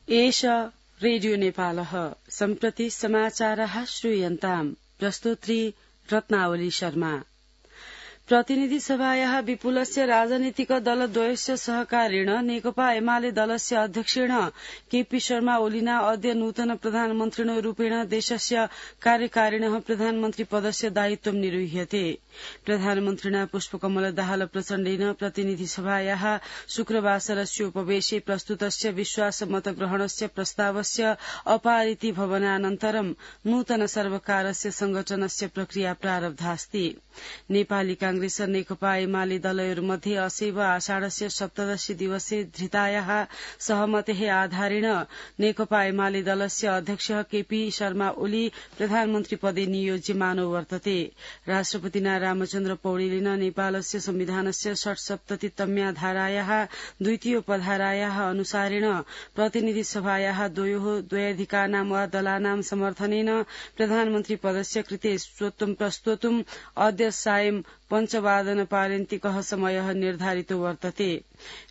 एष रेडियो नेपालः सम्प्रति समाचारः श्रूयन्ताम् प्रस्तुत्री रत्नावली शर्मा। प्रतिनिधि सभायाः विपुलस्य राजनीतिक दलद्वयस्य सहकारेण नेकपा एमाले दलस्य अध्यक्षेण केपी शर्मा ओलिना अद्य नूतन प्रधानमन्त्रिणो रूपेण देशस्य कार्यकारिणः प्रधानमन्त्री पदस्य दायित्वं निर्वह्यते। प्रधानमन्त्रिणा पुष्पकमल दाहाल प्रचण्डेन प्रतिनिधि सभायाः शुक्रवासरस्य उपवेशे प्रस्तुतस्य विश्वासमतग्रहणस्य प्रस्तावस्य अपारिति भवनानन्तरं नूतन सर्वकारस्य संगठनस्य प्रक्रिया प्रारब्धास्ति। नेपाली कांग्रेस नेकपा एमाले दलयोर्मध्ये असैव आषाढस्य 17 दिवसे धृतायाः सहमतेः आधारेण नेकपा एमाले दलस्य अध्यक्षः केपी शर्मा ओली प्रधानमन्त्री पदे नियोज्यमानो वर्तते। राष्ट्रपतिना रामचन्द्र पौडेलेन नेपालस्य संविधानस्य 77तम्या धारायाः द्वितीयोपधारायाः अनुसारेण प्रतिनिधि सभायाः द्वयाधिकानां वा दलानां समर्थनेन प्रधानमन्त्री पदस्य कृते स्वत्वं प्रस्तोतुम् अद्य सायं 5:15 पारेन्तिकः समयः निर्धारितो वर्तते।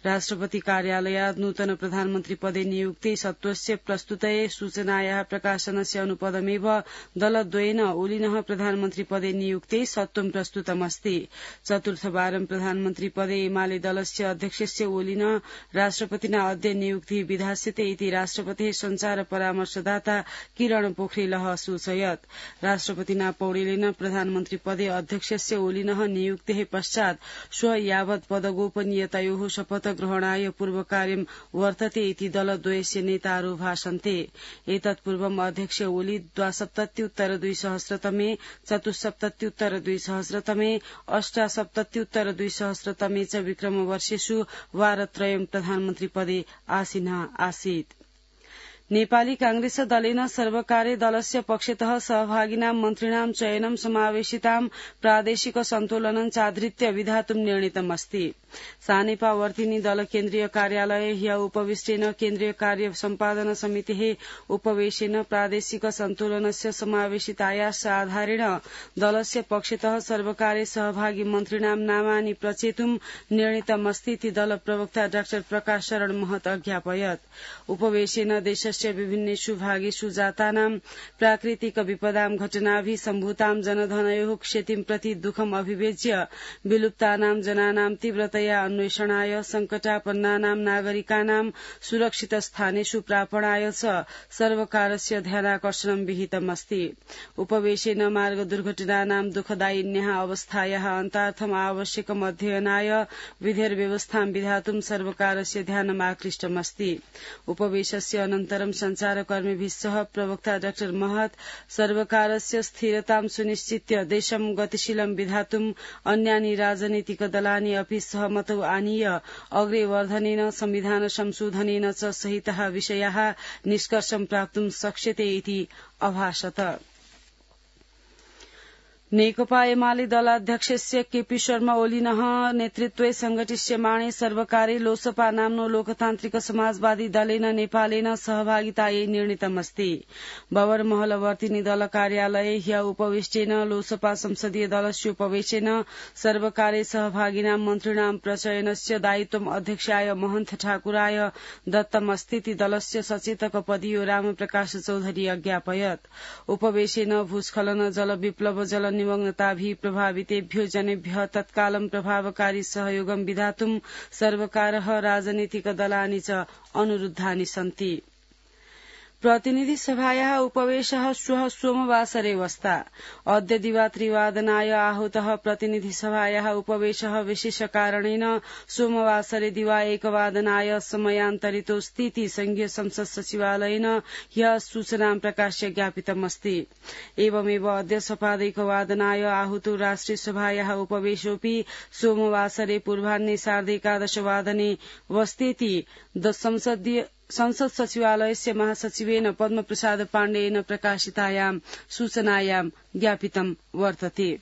राष्ट्रपति कार्यालयात् नूतन प्रधानमन्त्री पदे नियुक्ते सत्त्वस्य प्रस्तुतये सूचनायाः प्रकाशनस्य अनुपदमेव दलद्वयेन ओलिनः प्रधानमन्त्री पदे नियुक्ते सत्त्वं प्रस्तुतमस्ति। चतुर्थवारं प्रधानमन्त्री पदे एमाले दलस्य अध्यक्षस्य ओलिनः राष्ट्रपतिना अद्य नियुक्तिः विधास्यते इति राष्ट्रपतेः संचार परामर्शदाता किरण पोखरेलः असूचयत्। राष्ट्रपतिना पौडेलेन प्रधानमन्त्री पदे अध्यक्षस्य ओलिनः नियुक्तेः पश्चात् श्व यावत् पदगोपनीयतयोः शपथ ग्रहणाय पूर्वकार्यं वर्तते इति दलद्वयस्य नेतारो भाषन्ते। एतत् पूर्वम् अध्यक्ष ओली 72-2000 74-2000 78-2000 च विक्रमवर्षेषु वारत्रयं प्रधानमन्त्री पदे आसीनः आसीत्। नेपाली कांग्रेस दलेन सर्वकारे दलस्य पक्षतः सहभागिनां मन्त्रिणां चयनं समावेशितां प्रादेशिक सन्तुलनं चाधृत्य विधातुं निर्णीतमस्ति। सानेपा वर्तिनी दल केन्द्रीय कार्यालये ह्य उपविष्टेन केन्द्रीय कार्य सम्पादन समितेः उपवेशेन प्रादेशिक सन्तुलनस्य समावेशितायाः आधारेण दलस्य पक्षतः सर्वकारे सहभागी मन्त्रिणां नामानि प्रचेतुं निर्णीतमस्ति इति दल प्रवक्ता डाक्टर प्रकाश शरण महत अज्ञापयत्। उपवेशेन देशस्य विभिन्नेषु भागेषु जातानां प्राकृतिक विपदां घटनाभिः सम्भूतां जनधनयोः क्षतिं प्रति दुःखम् अभिव्यज्य विलुप्तानां जनानां तीव्रतया अन्वेषणाय संकटापन्नानां नागरिकानां सुरक्षित स्थानेषु प्रापणाय च सर्वकारस्य ध्यानाकर्षणं विहितमस्ति। उपवेशेन मार्ग दुर्घटनानां दुःखदायिन्याः अवस्थायाः अन्तार्थम् आवश्यकम् अध्ययनाय विधिर्व्यवस्थां विधातुं सर्वकारस्य ध्यानमाकृष्टमस्ति। उपवेशस्य अनन्तरं संचारकर्मिभिः सह प्रवक्ता डाक्टर महत सर्वकारस्य स्थिरतां सुनिश्चित्य देशं गतिशीलं विधातुम् अन्यानि राजनीतिक दलानि अपि सहमतौ आनीय अग्रे वर्धनेन संविधान संशोधनेन च सहिताः विषयाः निष्कर्षं प्राप्तुं शक्यते इति अभाषत। नेकपा एमाले दलाध्यक्षस्य केपी शर्मा ओलिनः नेतृत्वे संघटिष्यमाणे सर्वकारे लोसपा नाम्नो लोकतान्त्रिक समाजवादी दलेन नेपालेन सहभागितायै निर्णीतमस्ति। बबरमहल वर्तिनी दल कार्यालये ह्य उपविष्टेन लोसपा संसदीय दलस्य उपवेशेन सर्वकारे सहभागिनां मन्त्रिणां प्रचयनस्य दायित्वम् अध्यक्षाय महन्त ठाकुराय दत्तमस्तीति दलस्य सचेतक पदीयो रामप्रकाश चौधरी अज्ञापयत्। उपवेशेन भूस्खलन जल विप्लव जल निमग्नताभिः प्रभावितेभ्यो जनेभ्यः तत्कालं प्रभावकारी सहयोगं विधातुं सर्वकारः राजनीतिक दलानि च अनुरुद्धानि सन्ति। प्रतिनिधि सभायाः उपवेशः श्वः सोमवासरे वस्ता। अद्य दिवा-3 आहूतः प्रतिनिधि सभायाः उपवेशः विशेषकारणेन सोमवासरे दिवा 1 समयान्तरितोऽस्तीति संघीय संसद सचिवालयेन ह्यः सूचनां प्रकाश्य ज्ञापितमस्ति। एवमेव अद्य सपाद 1 आहूतो राष्ट्रिय सभायाः उपवेशोऽपि सोमवासरे पूर्वाह्ने 11:30 वस्तेति संसद सचिवालयस्य महासचिवेन पद्मप्रसाद पाण्डेयेन प्रकाशितायां सूचनायां ज्ञापितं वर्तते।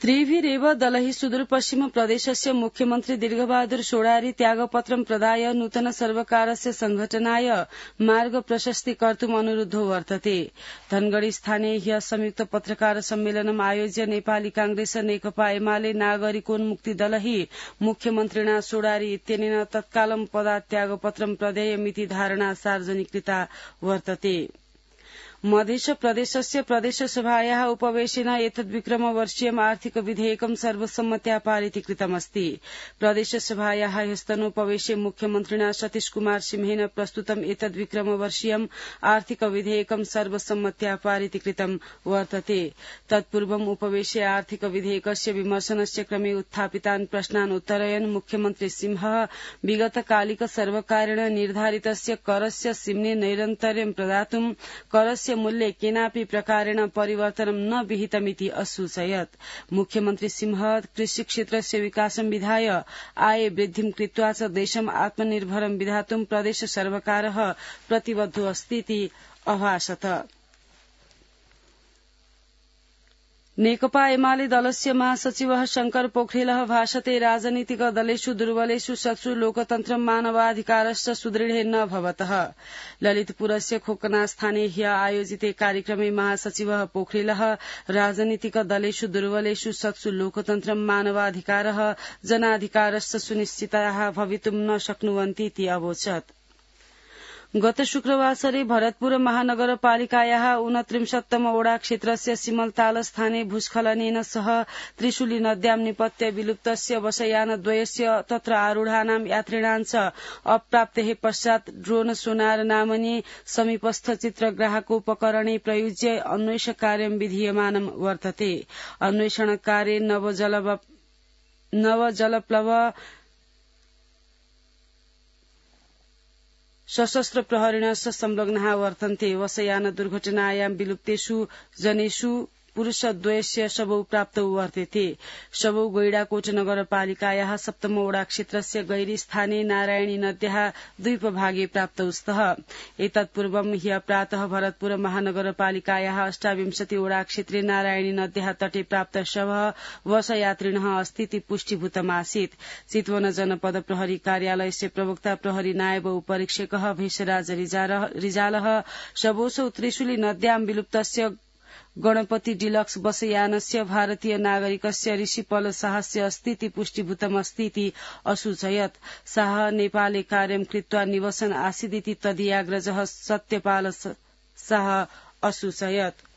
त्रिभिरेव दलैः सुदूरपश्चिम प्रदेशस्य मुख्यमन्त्री दीर्घबहादुर सोडारी त्यागपत्रं प्रदाय नूतन सर्वकारस्य संघटनाय मार्ग प्रशस्ति कर्तुम् अनुरुद्धो वर्तते। धनगढ़ी स्थाने ह्य संयुक्त पत्रकार सम्मेलनम् आयोज्य नेपाली कांग्रेस नेकपा एमाले नागरिकोन्मुक्ति दलैः मुख्यमन्त्रिणा सोडारी इत्यनेन तत्कालं पदत्यागपत्रं प्रदेयमिति धारणा सार्वजनिकृता वर्तते। मध्य प्रदेशस्य प्रदेशसभायाः उपवेशेन एतद्विक्रमवर्षीयम् आर्थिक विधेयकं सर्वसम्मत्या पारितीकृतमस्ति। प्रदेशसभायाः ह्यस्तनोपवेशे मुख्यमन्त्रिणा सतीश कुमार सिंहेन प्रस्तुतम् एतद्विक्रमवर्षीयम् आर्थिक विधेयकं सर्वसम्मत्या पारितीकृतं वर्तते। तत्पूर्वम् उपवेशे आर्थिक विधेयकस्य विमर्शनस्य क्रमे उत्थापितान् प्रश्नान् उत्तरयन् मुख्यमन्त्री सिंहः विगतकालिक सर्वकारेण निर्धारितस्य करस्य सिम्ने नैरन्तर्यं प्रदातुं करस्य मूल्ये केनापि प्रकारेण परिवर्तनं न विहितमिति असूचयत्। मुख्यमन्त्री सिंहः कृषिक्षेत्रस्य विकासं विधाय आये वृद्धिं कृत्वा च देशम् आत्मनिर्भरं विधातुं प्रदेश सर्वकारः प्रतिबद्धो अस्तीति अभाषत। नेकपा एमाले दलस्य महासचिवः शंकर पोखरेलः भाषते राजनीतिक दलेषु दुर्बलेषु सत्सु लोकतन्त्रं मानवाधिकारश्च सुदृढे न भवतः। ललितपुरस्य खोकनास्थाने ह्य आयोजिते कार्यक्रमे महासचिवः पोखरेलः राजनीतिक दलेषु दुर्बलेषु सत्सु लोकतन्त्रं मानवाधिकारः जनाधिकारश्च सुनिश्चिताः भवितुं न शक्नुवन्तीति अवोचत्। गत शुक्रवासरे भरतपुर महानगरपालिकायाः 29तम वडा क्षेत्रस्य सिमलताल स्थाने भूस्खलनेन सह त्रिशूली नद्यां निपत्य विलुप्तस्य वशयानद्वयस्य तत्र आरूढानां यात्रिणां च अप्राप्तेः पश्चात् ड्रोन सोनार नामनी समीपस्थ चित्रग्राहकोपकरणे प्रयुज्य अन्वेषणकार्यं विधीयमानं वर्तते। अन्वेषणकार्ये नवजलप्लव सशस्त्र प्रहरिणश्च संलग्नाः वर्तन्ते। वशयान दुर्घटनायां विलुप्तेषु जनेषु पुरुषद्वयस्य शवौ प्राप्तौ वर्तेते। शवौ गैडाकोट नगरपालिकायाः 7तम वडा क्षेत्रस्य गैरी स्थाने नारायणी नद्याः द्वीपभागे प्राप्तौ स्तः। एतत्पूर्वं ह्य प्रातः भरतपुर महानगरपालिकायाः 28 वडा क्षेत्रे नारायणी नद्याः तटे प्राप्त शवः वशयात्रिणः अस्तीति पुष्टिभूतमासीत्। चितवन जनपद प्रहरी कार्यालयस्य प्रवक्ता प्रहरी नायब उपरीक्षकः भेषराज रिजालः शवोऽसौ त्रिशूली नद्यां विलुप्तस्य गणपति डिलक्स बसयानस्य भारतीय नागरिकस्य ऋषिपल शाहस्य अस्तीति पुष्टिभूतमस्तीति असूचयत्। शाह नेपाले कार्यं कृत्वा निवसन आसीदिति तदीयाग्रजः सत्यपाल शाह असूचयत्।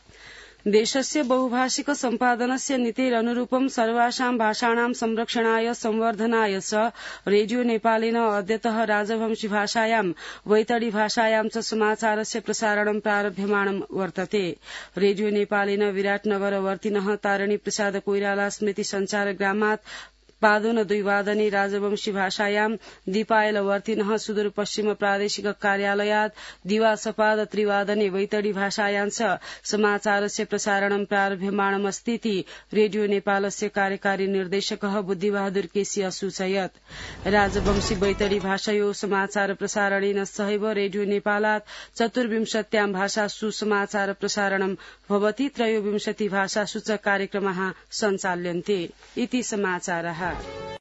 देशस्य बहुभाषिक सम्पादनस्य नीतेरनुरूपं सर्वासां भाषाणां संरक्षणाय संवर्धनाय च रेडियो नेपालेन अद्यतः राजवंशी भाषायां वैतडी भाषायां च समाचारस्य प्रसारणं प्रारभ्यमाणं वर्तते। रेडियो नेपालेन विराटनगरवर्तिनः तारिणी प्रसाद कोइराला स्मृति संचार ग्रामात् पादोन 2 वादने राजवंशी भाषायां दीपायलवर्तिनः सुदूरपश्चिम प्रादेशिक कार्यालयात् दिवासपाद 3 वादने वैतडी भाषायां च समाचारस्य प्रसारणं प्रारभ्यमाणमस्तीति रेडियो नेपालस्य कार्यकारी निर्देशकः बुद्धिबहादुर केसी असूचयत्। राजवंशी वैतडी भाषायो समाचार प्रसारणेन सहैव रेडियो नेपालात् 24 भाषासु समाचार प्रसारणं भवति। 23 भाषासु च कार्यक्रमाः सञ्चाल्यन्ते इति समाचारः।